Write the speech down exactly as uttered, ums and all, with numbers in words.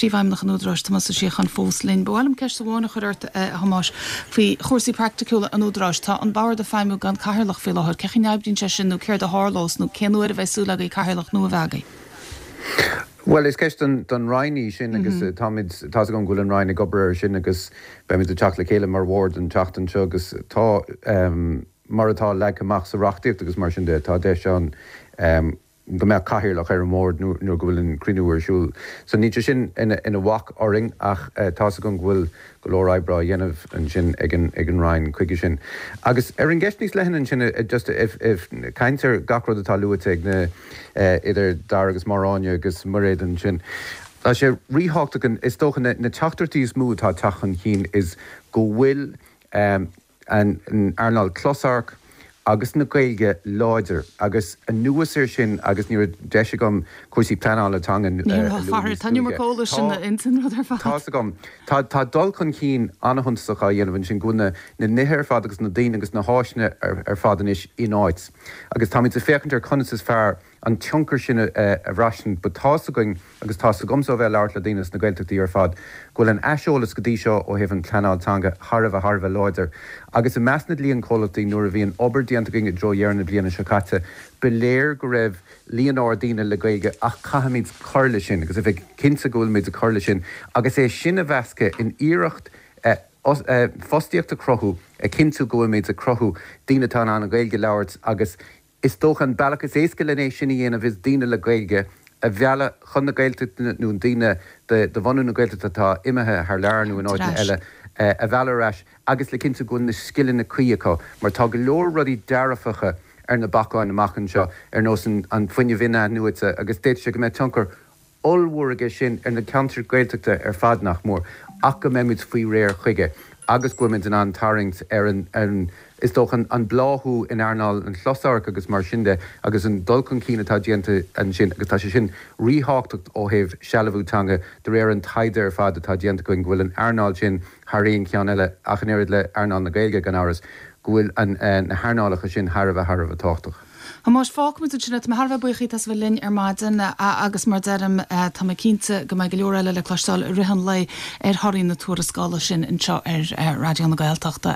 Príomhfheidhmeannach an Údaráis Tomás Ó Síocháin fós linn. Ba mhaith liom ceist amháin a chur ort a Thomáis faoi chúrsaí praiticiúla an Údaráis tá an bord ag feidhmiú gan cathaoirleach faoi láthair, cén chaoi a n-oibríonn sé sin nó céard a tharlós nó cén uair a bheidh súil agaibh cathaoirleach nua a bheith agaibh. Well is ceist don don Roinn í sin agus mm -hmm. táimid tá go bhfuil an Roinn ag obair air sin agus beimid ag teacht le chéile mar bhord an tseachtain seo agus tá um, mar atá leagtha amach sa reachtaíocht agus mar sin de tá deis ann um, go mbeadh cathaoirleach ar an mbord nó go bhfuil an cruinniú ar siúl. So ní sin ina, ina bhac orainn ach uh, tá go bhfuil go leor oibre á dhéanamh ansin ag an ag an Roinn chuige sin. Agus ar an gceist níos leithne sin uh, just if, if caint ar gach rud atá luaite ag na uh, idir Dara agus Máire agus Mairéad ansin. Tá sé ríthábhachtach is dócha na, na teachtaireachtaí is mó atá teacht chun cinn is go bhfuil um, an, an earnáil closamhairc agus na Gaeilge láidir agus anuas air sin agus ní deis agam cúrsaí pleanála teanga Tá agam Tá tá dul chun cinn an-shuntasach á dhéanamh sin go na na nithe ar fad agus na daoine agus na háiseanna ar, ar fad anois in áit. Agus táimid ag féachaint ar conas is fearr an tionchar sin a, a bhraithint, but tá againn agus tá agamsa bheith labhairt le daoine sna Gaeltachtaí ar fad, go bhfuil an aiseolas go dtí seo ó thaobh an pleanáil teanga thar a bheith thar a bheith láidir. Agus i measc na líon comhlachtaí nuair a bhí an obair déanta againn i dtreo dheireadh na bliana seo caite, ba léir go raibh líon ard daoine le Gaeilge ach caithfimid cur leis sin, agus a bheith cinnte go bhfuilmid ag cur leis sin, agus é sin a mheascadh in iarracht eh, eh, fostaíocht a chruthú a chinntiú go bhfuilmid ag cruthú daoine atá an Ghaeilge a labhairt agus is dócha an bealach is éasca lena sin a dhéanamh is daoine le Gaeilge a mhealladh chun na Gaeltachta nó daoine de de bhunadh na Gaeltachta atá imithe thar lear nó in áit eile a mhealladh ar ais agus le cinntiú go bhfuil na scileanna cuí acu, mar tá go leor rudaí dearfacha ar na bacáin amach anseo ar nós an, an fuinneamh in-athnuaite agus d'fhéadfadh sé go mbeidh tionchar ollmhór aige sin ar na ceantair Gaeltachta ar fad nach mór ach go mbeimid faoi réir chuige agus go bhfuilmid in ann tarraingt ar an, an is dócha an bláthú in earnáil an chlosamhairc agus mar sin de agus an dul chun cinn atá déanta ansin agus tá sé sin ríthábhachtach ó thaobh sealbhú teanga de réir an taighde ar fad atá déanta go bhfuil an earnáil sin thar aon cheann eile ach an oiread le earnáil na Gaeilge gan amhras go bhfuil an eh, na hearnálacha sin thar a bheith thar a bheith tábhachtach. Más fágfaimid sin tá thar buíoch as bheith linn ar maidin agus mar deirim tá mé cinnte go mbeidh go leor eile le cloisteáil i rith an lae ar thorthaí na tuarascála sin anseo ar Raidió na Gaeltachta.